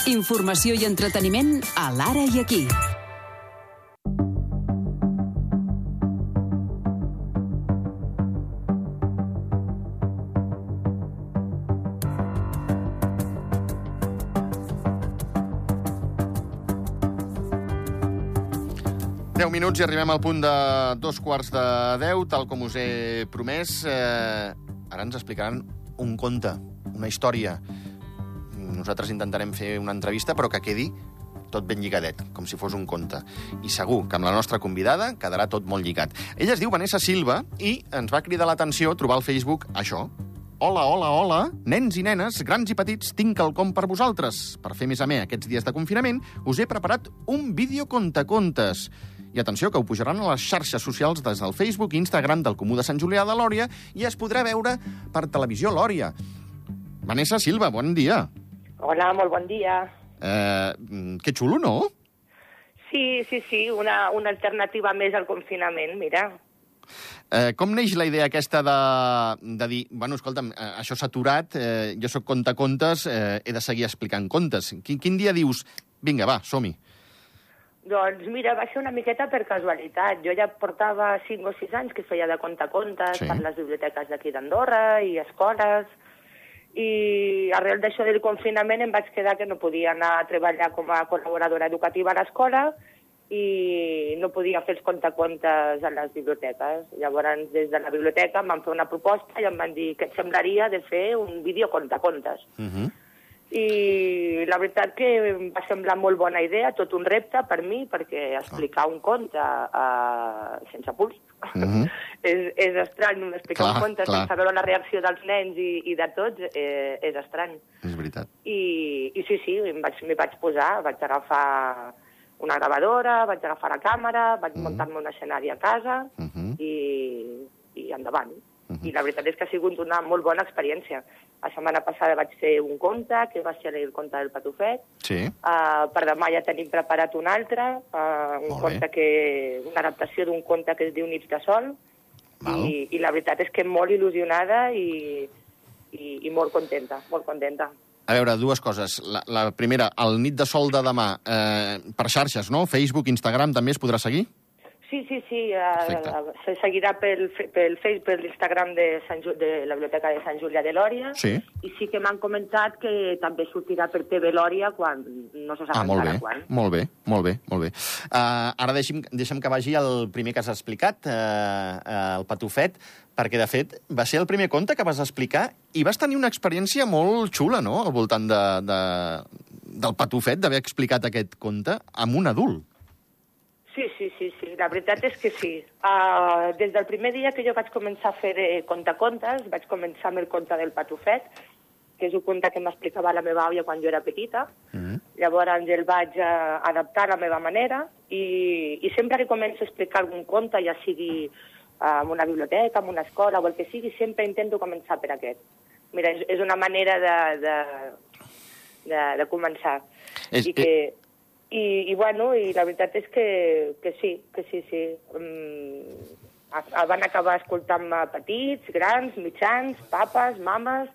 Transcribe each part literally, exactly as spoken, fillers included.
Informació i entreteniment a l'Ara i Aquí. deu minuts i arribem al punt de dos quarts de deu, tal com us he promès. Eh, ara ens explicaran un conte, una història. Nosaltres intentarem fer una entrevista, però que quedi tot ben lligadet, com si fos un conte. I segur que amb la nostra convidada quedarà tot molt lligat. Ella es diu Vanessa Silva i ens va cridar l'atenció trobar al Facebook això. Hola, hola, hola, nens i nenes, grans i petits, tinc quelcom per vosaltres. Per fer més amè aquests dies de confinament, us he preparat un vídeo contacontes. I atenció, que ho pujaran a les xarxes socials des del Facebook i Instagram del Comú de Sant Julià de Lòria i es podrà veure per televisió Lòria. Vanessa Silva, bon dia. Hola, molt bon dia. Eh, que xulo, no? Sí, sí, sí, una, una alternativa més al confinament, mira. Eh, com neix la idea aquesta de, de dir, bueno, escolta'm, eh, això s'ha aturat, eh, jo sóc contacontes, eh, he de seguir explicant contes. Quin, quin dia dius, vinga, va, som-hi? Doncs mira, va ser una miqueta per casualitat. Jo ja portava cinc o sis anys que feia de contacontes sí. per les biblioteques d'aquí d'Andorra i escoles, i arrel d'això del confinament em vaig quedar que no podia anar a treballar com a col·laboradora educativa a l'escola i no podia fer els contacontes a les biblioteques. Llavors, des de la biblioteca em van fer una proposta i em van dir que et semblaria de fer un vídeo contacontes. Uh -huh. I la veritat que em va semblar molt bona idea, tot un repte per mi, perquè explicar un conte uh, sense puls uh-huh. és, és estrany, explicar clar, un conte clar. sense veure la reacció dels nens i, i de tots eh, és estrany. És veritat. I, i sí, sí, m'hi vaig, m'hi vaig posar, vaig agafar una gravadora, vaig agafar la càmera, vaig uh-huh. muntar-me un escenari a casa uh-huh. i, i endavant. Uh-huh. I la veritat és que ha sigut una molt bona experiència. La setmana passada vaig fer un conte, que va ser el conte del Patufet. Sí. Uh, per demà ja tenim preparat un altre, uh, un conte que, una adaptació d'un conte que es diu Nits de Sol. I, I la veritat és que molt il·lusionada i, i, i molt contenta, molt contenta. A veure, dues coses. La, la primera, el Nit de Sol de demà, eh, per xarxes, no? Facebook, Instagram, també es podrà seguir? Sí, sí, sí, uh, se seguirà pel, pel Facebook, per l'Instagram de, de la Biblioteca de Sant Julià de Lòria, sí. i sí que m'han comentat que també sortirà per T V Lòria quan no se sap ah, encara bé, quan. Molt bé, molt bé, molt bé. Uh, ara deixem, deixem que vagi el primer que has explicat, uh, uh, el Patufet, perquè, de fet, va ser el primer conte que vas explicar i vas tenir una experiència molt xula, no?, al voltant de, de, del Patufet, d'haver explicat aquest conte amb un adult. Sí, sí, sí, sí, la veritat és que sí. Uh, des del primer dia que jo vaig començar a fer eh, contacontes, vaig començar amb el conte del Patufet, que és un conte que m'explicava la meva àvia quan jo era petita. Mm-hmm. Llavors el vaig uh, adaptar a la meva manera i, i sempre que començo a explicar algun conte, ja sigui uh, en una biblioteca, en una escola o el que sigui, sempre intento començar per aquest. Mira, és, és una manera de, de, de, de començar. És, I que... I, i, bueno, i la veritat és que, que sí, que sí, sí. Um, van acabar escoltant-me petits, grans, mitjans, papes, mames,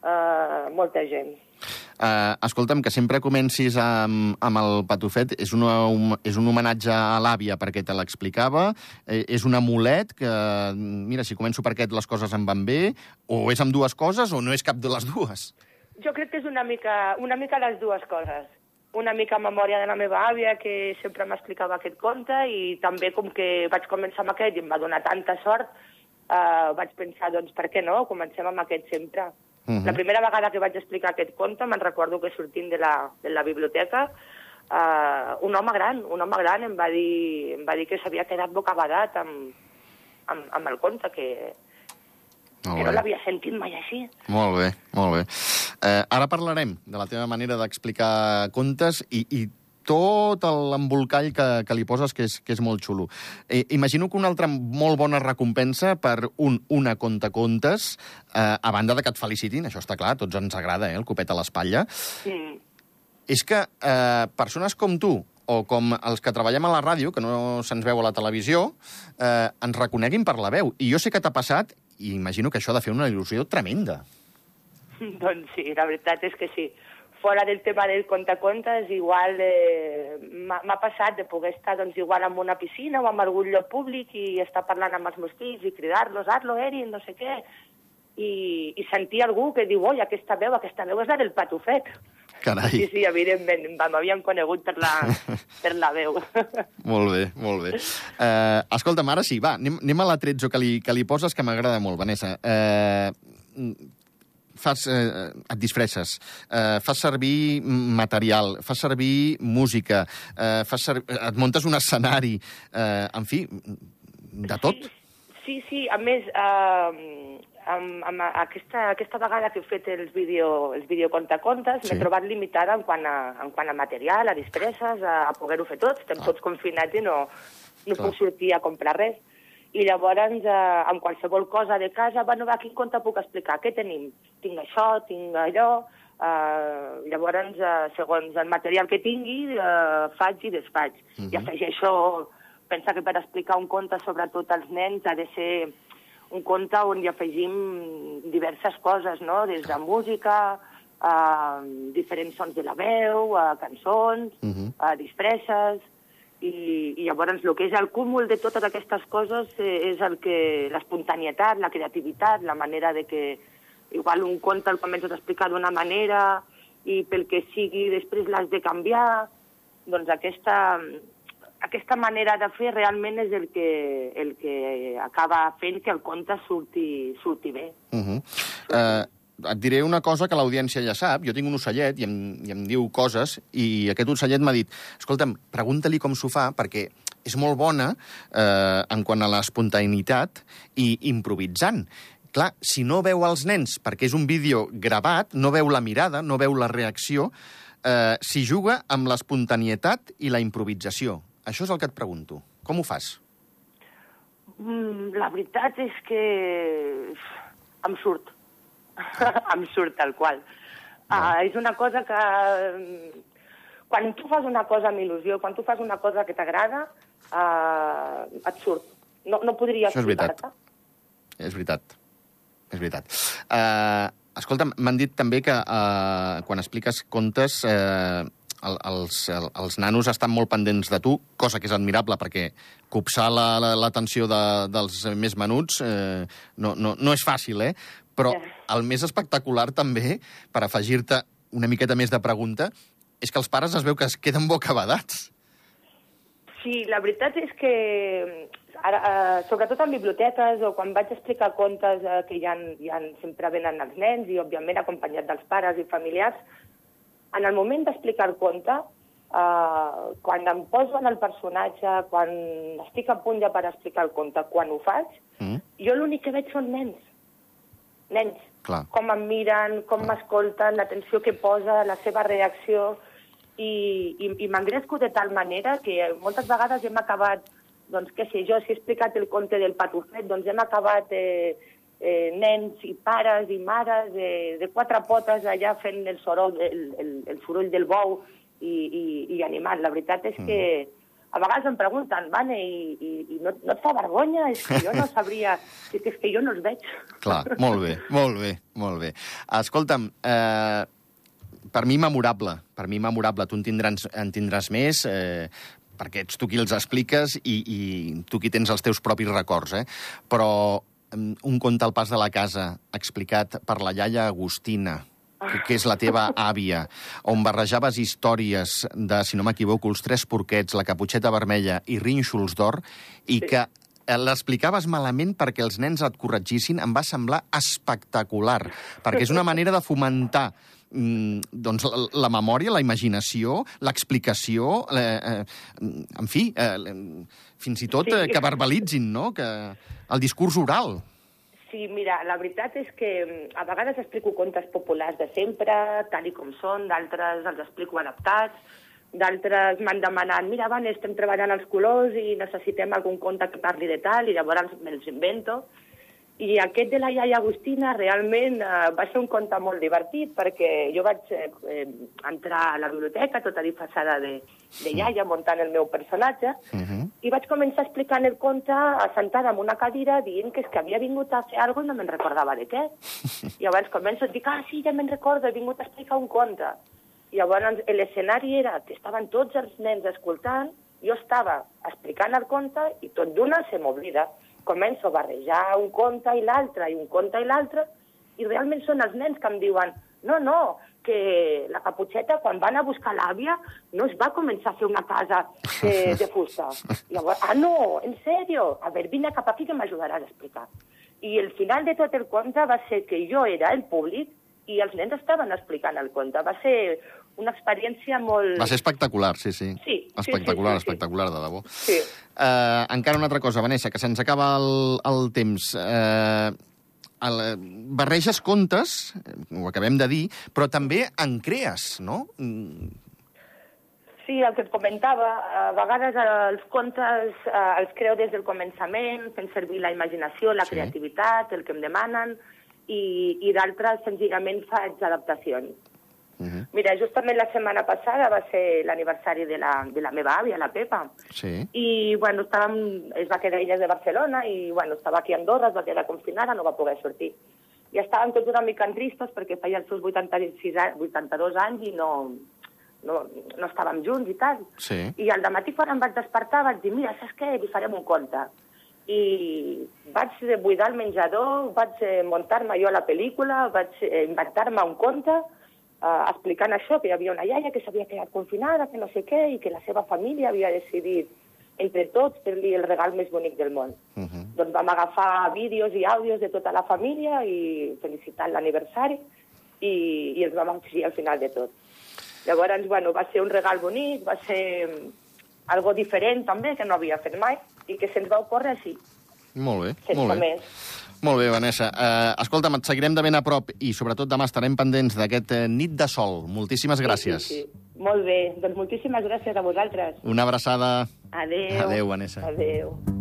uh, molta gent. Uh, escolta'm, que sempre comencis amb, amb el Patufet, és, una, un, és un homenatge a l'àvia perquè te l'explicava, eh, és un amulet que, mira, si començo per aquest les coses em van bé, o és amb dues coses o no és cap de les dues? Jo crec que és una mica, una mica les dues coses. Una mica en memòria de la meva àvia, que sempre m'explicava aquest conte, i també com que vaig començar amb aquest i em va donar tanta sort, eh, vaig pensar, doncs, per què no? Comencem amb aquest sempre. Uh-huh. La primera vegada que vaig explicar aquest conte, me'n recordo que sortint de la, de la biblioteca, eh, un home gran, un home gran em va dir, em va dir que s'havia quedat bocabadat amb, amb, amb el conte, que, que no l'havia sentit mai així. Molt bé, molt bé. Eh, ara parlarem de la teva manera d'explicar contes i, i tot l'embolcall que, que li poses, que és, que és molt xulo. Eh, imagino que una altra molt bona recompensa per un una contacontes, eh, a banda de que et felicitin, això està clar, a tots ens agrada, eh, el copet a l'espatlla, mm. és que eh, persones com tu, o com els que treballem a la ràdio, que no se'ns veu a la televisió, eh, ens reconeguin per la veu. I jo sé que t'ha passat, i imagino que això ha de fer una il·lusió tremenda. Doncs sí, la veritat és que sí. fora del tema del contacontes, igual eh, m'ha passat de poder estar doncs, igual en una piscina o en algun lloc públic i estar parlant amb els meus fills i cridar-los, Arlo, Erin, no sé què, i, i sentir algú que diu, oi, aquesta veu, aquesta veu és la del Patufet. Carai. Sí, sí, evidentment, m'havien conegut per la, per la veu. Molt bé, molt bé. Uh, escolta'm, ara sí, va, anem, anem a l'atrezzo que li, que li poses, que m'agrada molt, Vanessa. Uh, fas, eh, et disfresses, eh, fas servir material, fas servir música, eh, fas ser... et muntes un escenari, eh, en fi, de tot. Sí, sí, sí. A més, eh, amb, amb aquesta, aquesta vegada que he fet els, vídeo, els videocontacontes, sí. M'he trobat limitada en quant, a, en quant a material, a disfresses, a, a poder-ho fer tots. Estem ah. tots confinats i no, no puc sortir a comprar res. I llavors, eh, amb qualsevol cosa de casa, bueno, va, quin conte puc explicar? Què tenim? Tinc això, tinc allò... Eh, llavors, eh, segons el material que tingui, eh, faig i desfaig. Uh-huh. I afegeixo... Pensa que per explicar un conte, sobretot als nens, ha de ser un conte on hi afegim diverses coses, no? Des de música, eh, diferents sons de la veu, eh, cançons, uh-huh. eh, disfresses... I, i llavors el que és el cúmul de totes aquestes coses és el que l'espontanietat, la creativitat, la manera de que igual un conte el comences a explicar d'una manera i pel que sigui després l'has de canviar. Doncs aquesta, aquesta manera de fer realment és el que, el que acaba fent que el conte surti, surti bé. Uh-huh. Uh... Et diré una cosa que l'audiència ja sap. Jo tinc un ocellet i em, i em diu coses i aquest ocellet m'ha dit, escolta'm, pregunta-li com s'ho fa perquè és molt bona eh, en quant a l'espontaneïtat i improvisant. Clar, si no veu els nens, perquè és un vídeo gravat, no veu la mirada, no veu la reacció, eh, s'hi juga amb l'espontaneïtat i la improvisació. Això és el que et pregunto. Com ho fas? Mm, la veritat és que em surt. em surt tal qual. No. Uh, és una cosa que... Quan tu fas una cosa amb il·lusió, quan tu fas una cosa que t'agrada, uh, et surt. No, no podria explicar-te. És veritat. És veritat. Uh, escolta'm, m'han dit també que uh, quan expliques contes... Uh, El, els, el, els nanos estan molt pendents de tu, cosa que és admirable, perquè copsar l'atenció la, la, de, dels més menuts eh, no, no, no és fàcil, eh? Però el més espectacular també, per afegir-te una miqueta més de pregunta, és que els pares es veu que es queden bocabadats. Sí, la veritat és que, ara, eh, sobretot en biblioteques o quan vaig explicar contes eh, que ja, ja sempre venen els nens i, òbviament, acompanyat dels pares i familiars, en el moment d'explicar el conte, eh, quan em poso en el personatge, quan estic a punt ja per explicar el conte, quan ho faig, mm. jo l'únic que veig són nens. Nens. Clar. Com em miren, com m'escolten, l'atenció que posa, la seva reacció. I, i, i m'engresco de tal manera que moltes vegades hem acabat, doncs què sé jo, si he explicat el conte del Patufet, doncs hem acabat... Eh, Eh, nens i pares i mares eh, de quatre potes allà fent el soroll, el, el, el soroll del bou i, i, i animant. La veritat és que a vegades em pregunten, Vane, i, i, i no, no et fa vergonya? És que jo no sabria... És que, és que jo no els veig. Clar, molt bé, molt bé, molt bé. Escolta'm, eh, per mi memorable, per mi memorable. Tu en tindràs, en tindràs més... Eh, perquè ets tu qui els expliques i, i tu qui tens els teus propis records, eh? Però un conte al pas de la casa explicat per la iaia Agustina, que, que és la teva àvia, on barrejaves històries de, si no m'equivoco, els tres porquets, la caputxeta vermella i rínxols d'or, i que l'explicaves malament perquè els nens et corregissin, em va semblar espectacular, perquè és una manera de fomentar doncs, la, la memòria, la imaginació, l'explicació, eh, eh, en fi, eh, fins i tot eh, que verbalitzin, no?, que el discurs oral. Sí, mira, la veritat és que a vegades explico contes populars de sempre, tal i com són, d'altres els explico adaptats, d'altres m'han demanat, mira, Van, estem treballant els colors i necessitem algun conte que parli de tal, i llavors me'ls invento. I aquest de la iaia Agustina realment eh, va ser un conte molt divertit perquè jo vaig eh, entrar a la biblioteca tota disfressada de, de iaia muntant el meu personatge uh-huh. i vaig començar explicant el conte assentada en una cadira dient que és que havia vingut a fer alguna cosa i no me'n recordava de què. I llavors començo a dir, ah, sí, ja me'n recordo, he vingut a explicar un conte. Llavors, l'escenari era que estaven tots els nens escoltant, jo estava explicant el conte i tot d'una se m'oblida. Començo a barrejar un conte i l'altre, i un conte i l'altre, i realment són els nens que em diuen no, no, que la Caputxeta, quan van a buscar l'àvia, no es va començar a fer una casa de, de fusta. Llavors, ah, no, en sèrio? A veure, vine cap aquí que m'ajudaràs a explicar. I el final de tot el conte va ser que jo era el públic i els nens estaven explicant el conte. Va ser una experiència molt... Va ser espectacular, sí, sí. Sí. Espectacular, sí, sí, sí, espectacular, de debò. Sí. Uh, encara una altra cosa, Vanessa, que se'ns acaba el, el temps. Uh, el, barreges contes, ho acabem de dir, però també en crees, no? Sí, el que et comentava, a vegades els contes eh, els creo des del començament, fent servir la imaginació, la Sí. creativitat, el que em demanen, i, i d'altres senzillament faig adaptacions. Uh -huh. Mira, justament la setmana passada va ser l'aniversari de, la, de la meva àvia, la Pepa, Sí. i bueno, estàvem, es va quedar ella de Barcelona i bueno, estava aquí a Andorra, es va quedar confinada, no va poder sortir. I estàvem tots una mica tristos perquè feia els seus vuitanta-sis, vuitanta-dos anys i no, no, no estàvem junts i tal. Sí. I al dematí quan em vaig despertar vaig dir, mira, saps què? Li farem un conte. I vaig buidar el menjador, vaig muntar-me jo la pel·lícula, vaig inventar-me un conte, Uh, explicant això, que hi havia una iaia que s'havia quedat confinada, que no sé què, i que la seva família havia decidit entre tots fer-li el regal més bonic del món. Uh -huh. Doncs vam agafar vídeos i àudios de tota la família i felicitar l'aniversari i, i els vam exigir al final de tot. Llavors, bueno, va ser un regal bonic, va ser algo diferent també, que no havia fet mai, i que se'ns va ocórrer així. Molt bé, Sense molt bé. més. Molt bé, Vanessa. Uh, escolta'm, et seguirem de ben a prop i sobretot demà estarem pendents d'aquest uh, nit de sol. Moltíssimes gràcies. Sí, sí, sí. Molt bé, doncs moltíssimes gràcies a vosaltres. Una abraçada. Adéu. Adéu, Vanessa. Adéu.